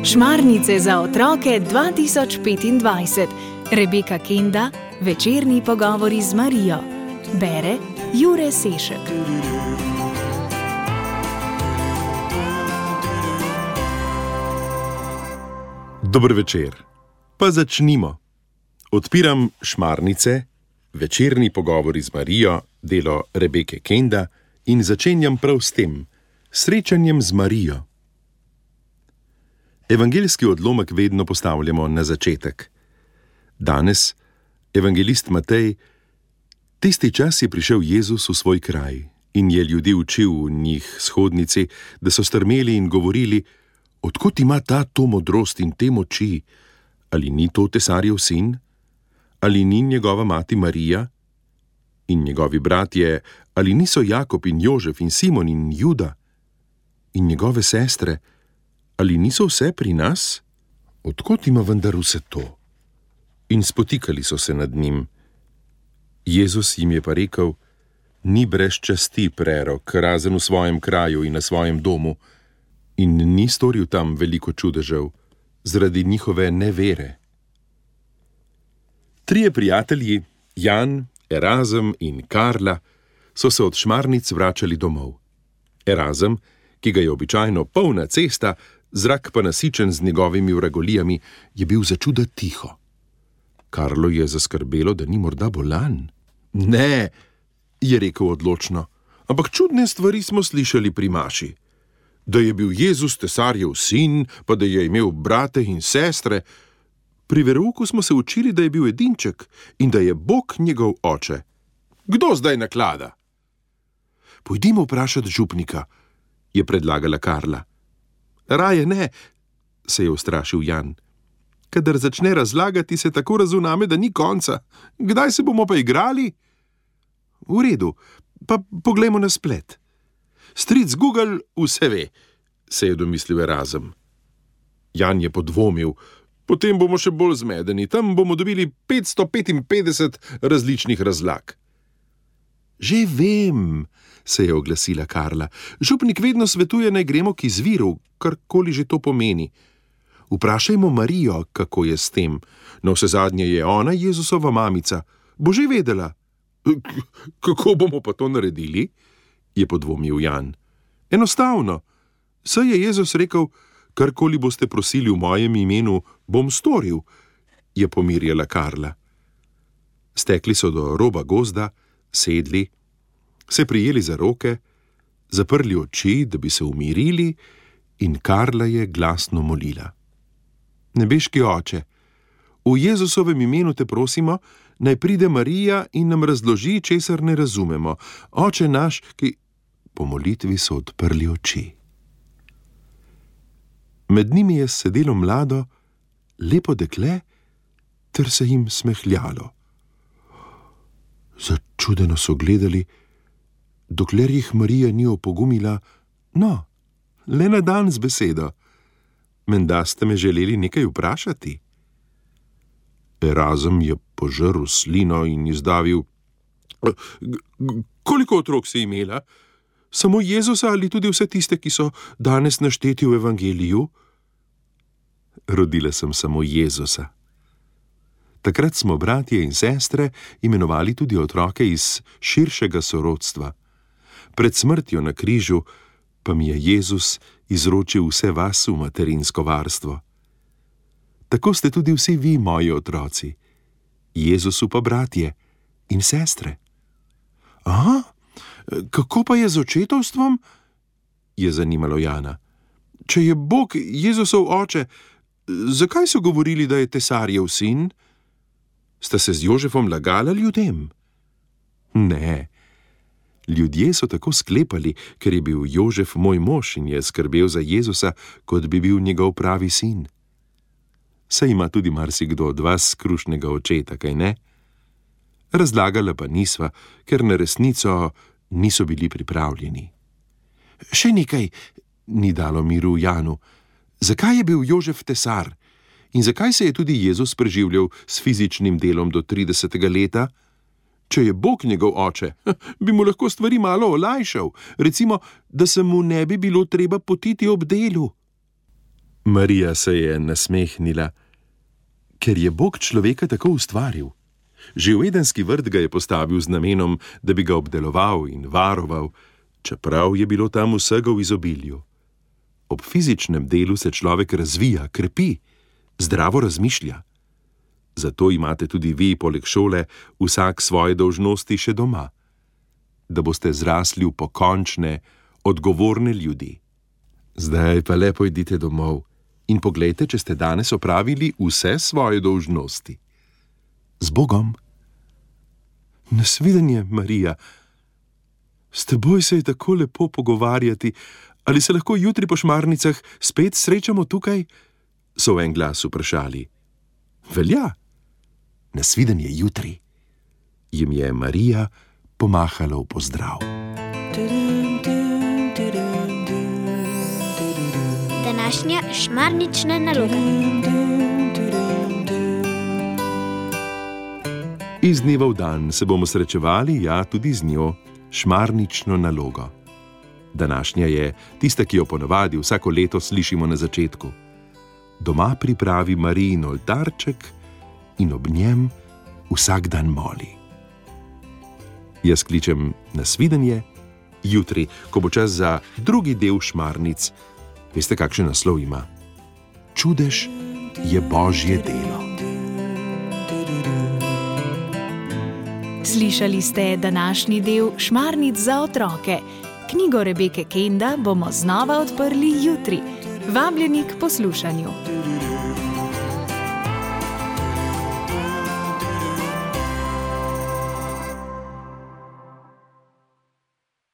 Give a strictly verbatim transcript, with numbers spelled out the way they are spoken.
Šmarnice za otroke dva tisoč petindvajset. Rebeka Kenda, Večerni pogovori z Marijo. Bere Jure Sešek. Dober večer. Pa začnimo. Odpiram Šmarnice, Večerni pogovori z Marijo, delo Rebeke Kenda, in začenjam prav s tem, srečanjem z Marijo. Evangeljski odlomek vedno postavljamo na začetek. Danes, evangelist Matej, tisti čas je prišel Jezus v svoj kraj in je ljudi učil v njih shodnici, da so strmeli in govorili: odkot ima ta to modrost in te moči? Ali ni to tesarjev sin? Ali ni njegova mati Marija? In njegovi bratje, ali niso Jakob in Jožef in Simon in Juda? In njegove sestre, ali niso vse pri nas? Odkot ima vendar vse to? In spotikali so se nad njim. Jezus jim je pa rekel: ni brez časti prerok, razen v svojem kraju in na svojem domu, in ni storil tam veliko čudežev, zaradi njihove nevere. Trije prijatelji, Jan, Erazem in Karla, so se od Šmarnic vračali domov. Erazem, ki ga je običajno polna cesta, zrak pa nasičen z njegovimi vragolijami, je bil začuda tiho. Karlo je zaskrbelo, da ni morda bolan. Ne, je rekel odločno, ampak čudne stvari smo slišali pri maši. Da je bil Jezus tesarjev sin, pa da je imel brate in sestre. Pri verouku smo se učili, da je bil edinček in da je Bog njegov oče. Kdo zdaj naklada? Pojdimo vprašati župnika, je predlagala Karla. Raje ne, se je ustrašil Jan. Kadar začne razlagati, se tako razuname, da ni konca. Kdaj se bomo pa igrali? V redu, pa poglejmo na splet. Stric Google vse ve, se je domislil Erazem. Jan je podvomil, potem bomo še bolj zmedeni, tam bomo dobili petsto petinpetdeset različnih razlag. Že vem, se je oglasila Karla. Župnik vedno svetuje, naj gremo k izviru, karkoli že to pomeni. Vprašajmo Marijo, kako je s tem. Na vse zadnje je ona Jezusova mamica. Bo že vedela. Kako bomo pa to naredili? Je podvomil Jan. Enostavno. Saj je Jezus rekel: karkoli boste prosili v mojem imenu, bom storil, je pomirjala Karla. Stekli so do roba gozda, sedli, se prijeli za roke, zaprli oči, da bi se umirili, in Karla je glasno molila. Nebeški oče, v Jezusovem imenu te prosimo, naj pride Marija in nam razloži, česar ne razumemo. Oče naš, ki... Po molitvi so odprli oči. Med njimi je sedelo mlado, lepo dekle, ter se jim smehljalo. Začudeno so gledali, dokler jih Marija ni opogumila: no, le na dan z besedo. Menda ste me želeli nekaj vprašati? Erazem je požrl slino in izdavil: koliko otrok si imela? Samo Jezusa ali tudi vse tiste, ki so danes našteti v evangeliju? Rodila sem samo Jezusa. Takrat smo bratje in sestre imenovali tudi otroke iz širšega sorodstva. Pred smrtjo na križu pa mi je Jezus izročil vse vas v materinsko varstvo. Tako ste tudi vsi vi moji otroci, Jezusu pa bratje in sestre. Aha, kako pa je z očetovstvom? Je zanimalo Jana. Če je Bog Jezusov oče, zakaj so govorili, da je tesarjev sin? Sta se z Jožefom lagala ljudem? Ne. Ljudje so tako sklepali, ker je bil Jožef moj mož in je skrbel za Jezusa, kot bi bil njegov pravi sin. Saj ima tudi marsikdo od vas krušnega očeta, kaj ne? Razlagala pa nisva, ker na resnico niso bili pripravljeni. Še nekaj ni dalo miru Janu. Zakaj je bil Jožef tesar? In zakaj se je tudi Jezus preživljal s fizičnim delom do tridesetega leta? Če je Bog njegov oče, bi mu lahko stvari malo olajšal, recimo, da se mu ne bi bilo treba potiti ob delu. Marija se je nasmehnila, ker je Bog človeka tako ustvaril. Že v edenski vrt ga je postavil z namenom, da bi ga obdeloval in varoval, čeprav je bilo tam vsega v izobilju. Ob fizičnem delu se človek razvija, krepi, zdravo razmišlja. Zato imate tudi vi, poleg šole, vsak svoje dolžnosti še doma, da boste zrasli v pokončne, odgovorne ljudi. Zdaj pa lepo idite domov in poglejte, če ste danes opravili vse svoje dolžnosti. Z Bogom. Nasvidenje, Marija. S teboj se je tako lepo pogovarjati. Ali se lahko jutri po Šmarnicah spet srečamo tukaj? So v en glas vprašali. Velja. Nasvidenje jutri. Jim je Marija pomahala v pozdrav. Današnja šmarnična naloga. Iz dneva v dan se bomo srečevali, ja, tudi z njo, šmarnično nalogo. Današnja je tista, ki jo ponavadi vsako leto slišimo na začetku. Doma pripravi Marijin oltarček in ob njem vsak dan moli. Jaz kličem nasvidenje jutri, ko bo čas za drugi del Šmarnic. Veste, kakšen naslov ima? Čudež je Božje delo. Slišali ste današnji del Šmarnic za otroke. Knjigo Rebeke Kenda bomo znova odprli jutri. Vabljeni k poslušanju.